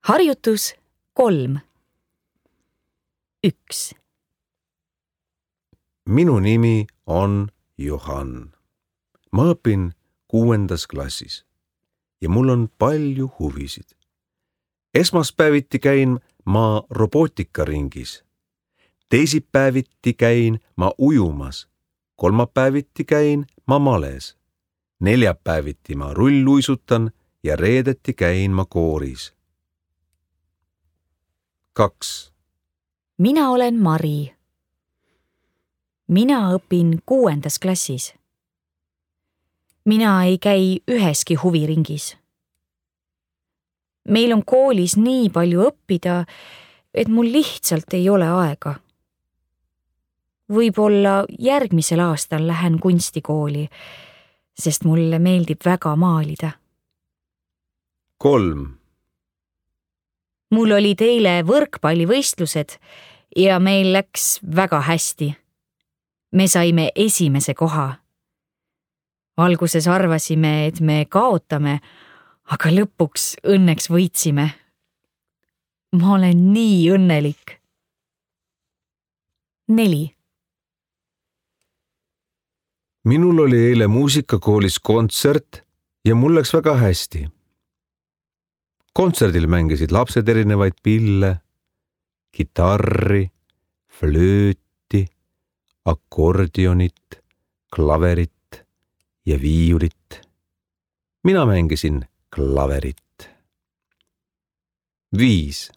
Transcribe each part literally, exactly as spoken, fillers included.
Harjutus kolm. Üks. Minu nimi on Johan. Ma õpin kuuendas klassis ja mul on palju huvisid. Esmaspäeviti käin ma robootikaringis. Teisipäeviti käin ma ujumas. Kolmapäeviti käin ma males. Neljapäeviti ma rulluisutan ja reedeti käin ma kooris. Kaks. Mina olen Mari. Mina õpin kuuendas klassis. Mina ei käi üheski huviringis. Meil on koolis nii palju õppida, et mul lihtsalt ei ole aega. Võib-olla järgmisel aastal lähen kunstikooli, sest mulle meeldib väga maalida. Kolm. Mul olid eile võrkpallivõistlused ja meil läks väga hästi. Me saime esimese koha. Alguses arvasime, et me kaotame, aga lõpuks õnneks võitsime. Ma olen nii õnnelik. Neli. Minul oli eile muusikakoolis kontsert ja mul läks väga hästi. Kontserdil mängisid lapsed erinevaid pille, kitarri, flööti, akordionit, klaverit ja viiulit. Mina mängisin klaverit. Viis.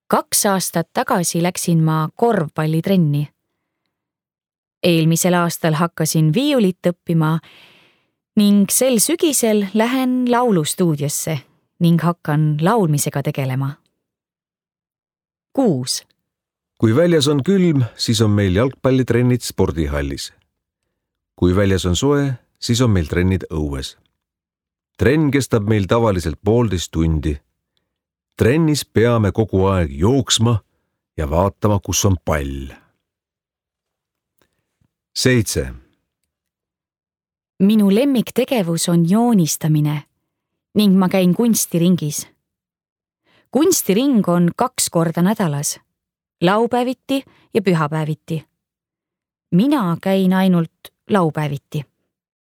Kaks aastat tagasi läksin ma korvpallitrenni. Eelmisel aastal hakkasin viiulit õppima ning sel sügisel lähen laulustuudiosse ning hakkan laulmisega tegelema. Kuus. Kui väljas on külm, siis on meil jalgpallitrennid spordihallis. Kui väljas on soe, siis on meil trennid õues. Trenn kestab meil tavaliselt poolteist tundi. Trennis peame kogu aeg jooksma ja vaatama, kus on pall. Seitse. Minu lemmiktegevus on joonistamine ning ma käin kunstiringis. Kunstiring on kaks korda nädalas, laupäeviti ja pühapäeviti. Mina käin ainult laupäeviti.